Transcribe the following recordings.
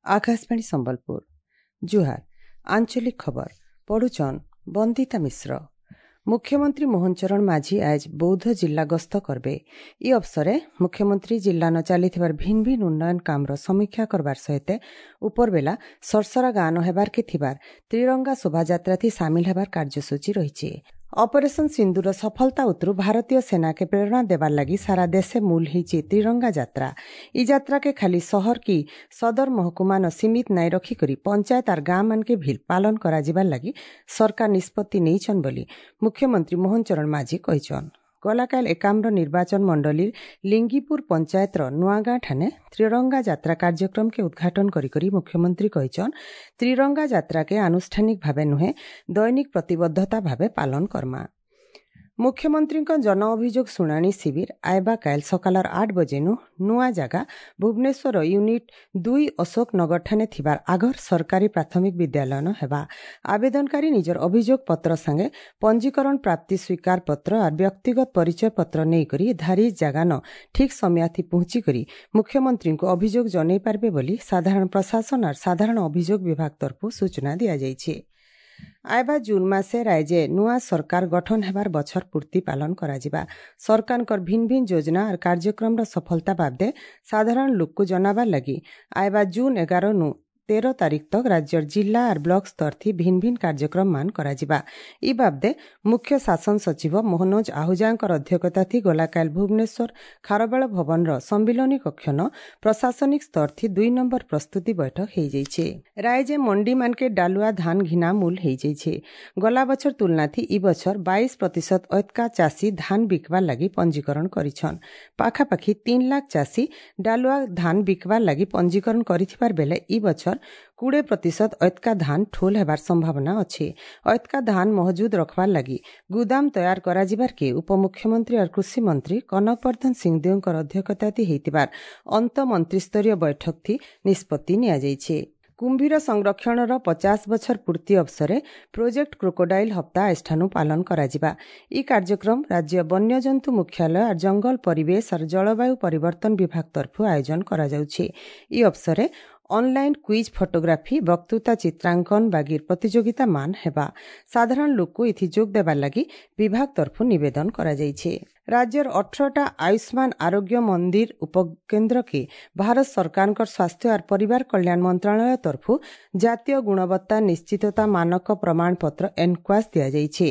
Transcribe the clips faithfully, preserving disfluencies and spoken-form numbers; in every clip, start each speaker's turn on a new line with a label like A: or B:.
A: ଆକାଶବାଣୀ ସମ୍ବଲପୁର ଜୁହାର ଆଞ୍ଚଳିକ ଖବର ପଢୁଛନ୍ ବନ୍ଦିତା ମିଶ୍ର ମୁଖ୍ୟମନ୍ତ୍ରୀ ମୋହନ ଚରଣ ମାଝୀ ଆଜ ବୌଦ୍ଧ ଜିଲ୍ଲା ଗସ୍ତ କରବେ ଇ ଅବସରେ ମୁଖ୍ୟମନ୍ତ୍ରୀ ଜିଲ୍ଲାନ ଚାଲିଥିବାର ଭିନ୍ ଭିନ୍ ଉନ୍ନୟନ କାମର ସମୀକ୍ଷା କରବାର ସହିତ ଉପରବେଲା ସରସରା ଗାଁନ ହେବାରକେ ଥିବାର ତ୍ରିରଙ୍ଗା ଶୋଭାଯାତ୍ରାଥି ସାମିଲ ହେବାର କାର୍ଯ୍ୟସୂଚୀ ରହିଛି ଅପରେସନ ସିନ୍ଦୁର ସଫଳତା ଉତରୁ ଭାରତୀୟ ସେନାକେ ପ୍ରେରଣା ଦେବାର ଲାଗି ସାରା ଦେଶେ ମୂଲ ହେଇଛି ତ୍ରିରଙ୍ଗା ଯାତ୍ରା ଇ ଯାତ୍ରାକେ ଖାଲି ସହର କି ସଦର ମହକୁମାନ ସୀମିତ ନାଇଁ ରଖିକରି ପଞ୍ଚାୟତ ଆର୍ ଗାଁ ମାନକେ ଭିଲ୍ ପାଳନ କରାଯିବାର ଲାଗି ସରକାର ନିଷ୍ପତ୍ତି ନେଇଛନ୍ ବୋଲି ମୁଖ୍ୟମନ୍ତ୍ରୀ ମୋହନ ଚରଣ ମାଝୀ କହିଛନ୍ ଗଲାକାଲ ଏକାମ୍ର ନିର୍ବାଚନ ମଣ୍ଡଳୀର ଲିଙ୍ଗିପୁର ପଞ୍ଚାୟତର ନୂଆଗାଁ ଠାନେ ତ୍ରିରଙ୍ଗା ଯାତ୍ରା କାର୍ଯ୍ୟକ୍ରମକେ ଉଦ୍ଘାଟନ କରିକରି ମୁଖ୍ୟମନ୍ତ୍ରୀ କହିଛନ୍ ତ୍ରିରଙ୍ଗା ଯାତ୍ରାକେ ଆନୁଷ୍ଠାନିକ ଭାବେ ନୁହେଁ ଦୈନିକ ପ୍ରତିବଦ୍ଧତା ଭାବେ ପାଳନ କର୍ମା ମୁଖ୍ୟମନ୍ତ୍ରୀଙ୍କ ଜନ ଅଭିଯୋଗ ଶୁଣାଣି ଶିବିର ଆଇବା କାଏଲ ସକାଳର ଆଠ ବଜେନୁ ନୂଆ ଜାଗା ଭୁବନେଶ୍ୱର ୟୁନିଟ୍ ଦୁଇ ଅଶୋକ ନଗରଠାନେ ଥିବାର ଆଗର ସରକାରୀ ପ୍ରାଥମିକ ବିଦ୍ୟାଳୟନ ହେବା ଆବେଦନକାରୀ ନିଜର ଅଭିଯୋଗ ପତ୍ର ସାଙ୍ଗେ ପଞ୍ଜୀକରଣ ପ୍ରାପ୍ତି ସ୍ୱୀକାର ପତ୍ର ଆର୍ ବ୍ୟକ୍ତିଗତ ପରିଚୟ ପତ୍ର ନେଇକରି ଧାରି ଜାଗାନ ଠିକ୍ ସମୟାଥି ପହଞ୍ଚିକରି ମୁଖ୍ୟମନ୍ତ୍ରୀଙ୍କୁ ଅଭିଯୋଗ ଜଣାଇ ପାରିବେ ବୋଲି ସାଧାରଣ ପ୍ରଶାସନ ଆର୍ ସାଧାରଣ ଅଭିଯୋଗ ବିଭାଗ ତରଫରୁ ସୂଚନା ଦିଆଯାଇଛି ଆଇବା ଜୁନ୍ ମାସେ ରାଜ୍ୟେ ନୂଆ ସରକାର ଗଠନ ହେବାର ବଛର ପୂର୍ତ୍ତି ପାଳନ କରାଯିବା ସରକାରଙ୍କର ଭିନ୍ ଭିନ୍ ଯୋଜନା ଆର୍ କାର୍ଯ୍ୟକ୍ରମର ସଫଳତା ବାବଦେ ସାଧାରଣ ଲୋକକୁ ଜଣାବାର ଲାଗି ଆଇବା ଜୁନ୍ ଏଗାର ନୁ ତେର ତାରିଖ ତକ ରାଜ୍ୟର ଜିଲ୍ଲା ଆର୍ ବ୍ଲକ ସ୍ତରଥି ଭିନ୍ ଭିନ୍ କାର୍ଯ୍ୟକ୍ରମ ମାନ କରାଯିବା ଇ ବାବଦେ ମୁଖ୍ୟ ଶାସନ ସଚିବ ମନୋଜ ଆହୁଜାଙ୍କର ଅଧ୍ୟକ୍ଷତାଥି ଗଲାକାଲ ଭୁବନେଶ୍ୱର ଖାରବେଳ ଭବନର ସମ୍ମିଳନୀ କକ୍ଷନ ପ୍ରଶାସନିକ ସ୍ତରଥି ଦୁଇ ନମ୍ବର ପ୍ରସ୍ତୁତି ବୈଠକ ହେଇଯାଇଛି ରାଜ୍ୟ ମଣ୍ଡି ମାନକେ ଡାଲୁଆ ଧାନ ଘିନା ମୂଲ ହେଇଯାଇଛି ଗଲା ବଛର ତୁଲନାଥି ଇ ବଛର ବାଇଶ ପ୍ରତିଶତ ଅତକା ଚାଷୀ ଧାନ ବିକବାର ଲାଗି ପଞ୍ଜୀକରଣ କରିଛନ୍ ପାଖାପାଖି ତିନି ଲାଖ ଚାଷୀ ଡାଲୁଆ ଧାନ ବିକବାର ଲାଗି ପଞ୍ଜୀକରଣ କରିଥିବାର ବେଲେ ଇ ବଛର କୁଡ଼େ ପ୍ରତିଶତ ଅତକା ଧାନ ଠୋଲ ହେବାର ସମ୍ଭାବନା ଅଛି ଅତକା ଧାନ ମହଜୁଦ ରଖବାର ଲାଗି ଗୁଦାମ ତୟାର କରାଯିବାର କେ ଉପମୁଖ୍ୟମନ୍ତ୍ରୀ ଆର୍ କୃଷି ମନ୍ତ୍ରୀ କନକ ବର୍ଦ୍ଧନ ସିଂଦେଓଙ୍କର ଅଧ୍ୟକ୍ଷତାଥି ହେଇଥିବାର ଅନ୍ତଃମନ୍ତ୍ରୀସ୍ତରୀୟ ବୈଠକଥି ନିଷ୍ପତ୍ତି ନିଆଯାଇଛି କୁମ୍ଭୀର ସଂରକ୍ଷଣର ପଚାଶ ବଛର ପୂର୍ତ୍ତି ଅବସରେ ପ୍ରୋଜେକ୍ଟ କ୍ରୋକୋଡାଇଲ୍ ହପ୍ତା ଆଜିଠାନୁ ପାଳନ କରାଯିବା ଇ କାର୍ଯ୍ୟକ୍ରମ ରାଜ୍ୟ ବନ୍ୟଜନ୍ତୁ ମୁଖ୍ୟାଳୟ ଆର୍ ଜଙ୍ଗଲ ପରିବେଶ ଆର୍ ଜଳବାୟୁ ପରିବର୍ତ୍ତନ ବିଭାଗ ତରଫରୁ ଆୟୋଜନ କରାଯାଉଛି ଇ ଅବସରେ ଅନଲାଇନ୍ କୁଇଜ୍ ଫଟୋଗ୍ରାଫି ବକ୍ତୃତା ଚିତ୍ରାଙ୍କନ ବାଗିର ପ୍ରତିଯୋଗିତା ମାନ ହେବା ସାଧାରଣ ଲୋକକୁ ଏଥି ଯୋଗ ଦେବାର ଲାଗି ବିଭାଗ ତରଫରୁ ନିବେଦନ କରାଯାଇଛି ରାଜ୍ୟର ଅଠରଟା ଆୟୁଷ୍ମାନ ଆରୋଗ୍ୟ ମନ୍ଦିର ଉପକେନ୍ଦ୍ରକେ ଭାରତ ସରକାରଙ୍କର ସ୍ୱାସ୍ଥ୍ୟ ଆର୍ ପରିବାର କଲ୍ୟାଣ ମନ୍ତ୍ରଣାଳୟ ତରଫରୁ ଜାତୀୟ ଗୁଣବତ୍ତା ନିଶ୍ଚିତତା ମାନକ ପ୍ରମାଣପତ୍ର ଏନକ୍ୱାସ୍ ଦିଆଯାଇଛି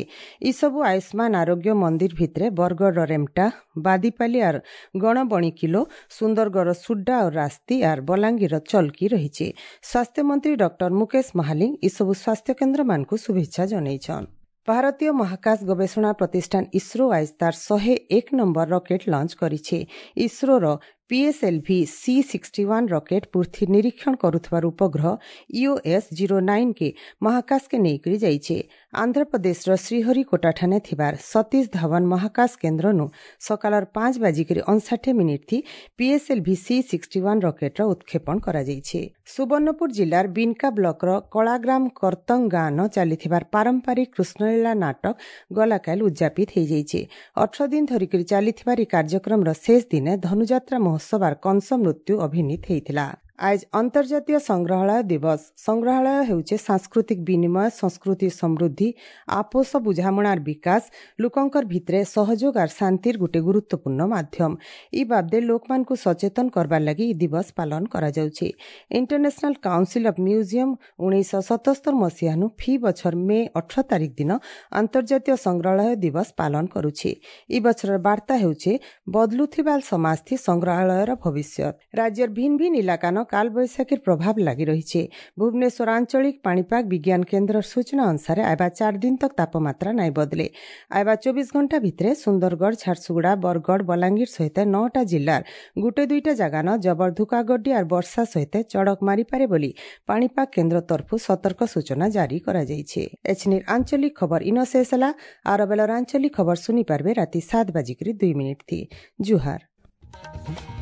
A: ଏସବୁ ଆୟୁଷ୍ମାନ ଆରୋଗ୍ୟ ମନ୍ଦିର ଭିତରେ ବରଗଡ଼ର ରେମଟା ବାଦିପାଲି ଆର୍ ଗଣବଣିକିଲୋ ସୁନ୍ଦରଗଡ଼ର ସୁଡ୍ଡା ଓ ରାସ୍ତି ଆର୍ ବଲାଙ୍ଗୀରର ଚଲକି ରହିଛି ସ୍ୱାସ୍ଥ୍ୟମନ୍ତ୍ରୀ ଡକ୍ଟର ମୁକେଶ ମହାଲିଙ୍ଗ ଏସବୁ ସ୍ୱାସ୍ଥ୍ୟକେନ୍ଦ୍ରମାନଙ୍କୁ ଶୁଭେଚ୍ଛା ଜଣାଇଛନ୍ ଭାରତୀୟ ମହାକାଶ ଗବେଷଣା ପ୍ରତିଷ୍ଠାନ ଇସ୍ରୋ ଆଜ ତାର ଶହେ ଏକ ନମ୍ବର ରକେଟ୍ ଲଞ୍ଚ କରିଛି ଇସ୍ରୋର PSLV C sixty one rocket ପୃଥ୍ୱୀ ନିରୀକ୍ଷଣ କରୁଥିବାର ଉପଗ୍ରହ ଇଓଏସ୍ ଜିରୋ ନାଇନ୍ କେ ମହାକାଶକେ ନେଇକରି ଯାଇଛି ଆନ୍ଧ୍ରପ୍ରଦେଶର ଶ୍ରୀହରିକୋଟାଠାନେ ଥିବାର ସତୀଶ ଧାୱନ ମହାକାଶ କେନ୍ଦ୍ରନୁ ସକାଳର ପାଞ୍ଚ ବାଜିକରି ଅଣଷାଠି ମିନିଟ୍ ଥି ପିଏସ୍ଏଲ୍ଭି ସି ସିକ୍ସଟି ୱାନ୍ ରକେଟ୍ର ଉତ୍କ୍ଷେପଣ କରାଯାଇଛି ସୁବର୍ଣ୍ଣପୁର ଜିଲ୍ଲାର ବିନକା ବ୍ଲକର କଳାଗ୍ରାମ କର୍ତ୍ତଙ୍ଗ ଗାଁନ ଚାଲିଥିବାର ପାରମ୍ପରିକ କୃଷ୍ଣଲୀଳା ନାଟକ ଗଲାକାଲ ଉଦ୍ଯାପିତ ହେଇଯାଇଛି ଅଠର ଦିନ ଧରିକରି ଚାଲିଥିବାର ଏହି କାର୍ଯ୍ୟକ୍ରମର ଶେଷ ଦିନେ ଧନୁଯାତ୍ରା ମହୋତ୍ସବ ଆର୍ କଂସ ମୃତ୍ୟୁ ଅଭିନୀତ ହେଇଥିଲା ଆଜ ଅନ୍ତର୍ଜାତୀୟ ସଂଗ୍ରହାଳୟ ଦିବସ ସଂଗ୍ରହାଳୟ ହେଉଛି ସାଂସ୍କୃତିକ ବିନିମୟ ସଂସ୍କୃତି ସମୃଦ୍ଧି ଆପୋଷ ବୁଝାମଣାର ବିକାଶ ଲୋକଙ୍କର ଭିତରେ ସହଯୋଗ ଆର୍ ଶାନ୍ତିର ଗୋଟେ ଗୁରୁତ୍ୱପୂର୍ଣ୍ଣ ମାଧ୍ୟମ ଇ ବାବଦେ ଲୋକମାନଙ୍କୁ ସଚେତନ କରବାର ଲାଗି ଇ ଦିବସ ପାଳନ କରାଯାଉଛି ଇଣ୍ଟରନ୍ୟାସନାଲ କାଉନସିଲ ଅଫ୍ ମ୍ୟୁଜିୟମ ଉଣେଇଶହ ସତସ୍ତର ମସିହାନୁ ଫି ବଛର ମେ ଅଠର ତାରିଖ ଦିନ ଅନ୍ତର୍ଜାତୀୟ ସଂଗ୍ରହାଳୟ ଦିବସ ପାଳନ କରୁଛି ଇ ବଛରର ବାର୍ତ୍ତା ହେଉଛି ବଦଲୁଥିବା ସମାଜଥି ସଂଗ୍ରହାଳୟର ଭବିଷ୍ୟତ ରାଜ୍ୟର ଭିନ୍ ଭିନ୍ ଇଲାକାନ କାଳବୈଶାଖୀର ପ୍ରଭାବ ଲାଗି ରହିଛି ଭୁବନେଶ୍ୱର ଆଞ୍ଚଳିକ ପାଣିପାଗ ବିଜ୍ଞାନ କେନ୍ଦ୍ରର ସୂଚନା ଅନୁସାରେ ଆଇବା ଚାରି ଦିନ ତକ ତାପମାତ୍ରା ନାଇଁ ବଦଲେ ଆଇବା ଚବିଶ ଘଣ୍ଟା ଭିତରେ ସୁନ୍ଦରଗଡ଼ ଝାରସୁଗୁଡ଼ା ବରଗଡ଼ ବଲାଙ୍ଗୀର ସହିତ ନଅଟା ଜିଲ୍ଲାର ଗୋଟେ ଦୁଇଟା ଜାଗାନ ଜବର ଧୁକାଗଡି ଆର୍ ବର୍ଷା ସହିତ ଚଡ଼କ ମାରିପାରେ ବୋଲି ପାଣିପାଗ କେନ୍ଦ୍ର ତରଫରୁ ସତର୍କ ସୂଚନା ଜାରି କରାଯାଇଛି ଏଛନିର ଆଞ୍ଚଳିକ ଖବର ଇନ ଶେଷ ହେଲା ଆର ବେଳର ଆଞ୍ଚଳିକ ଖବର ଶୁଣିପାରିବେ ରାତି ସାତ ବାଜିକରି ଦୁଇ ମିନିଟ୍ ଥି ଜୁହାର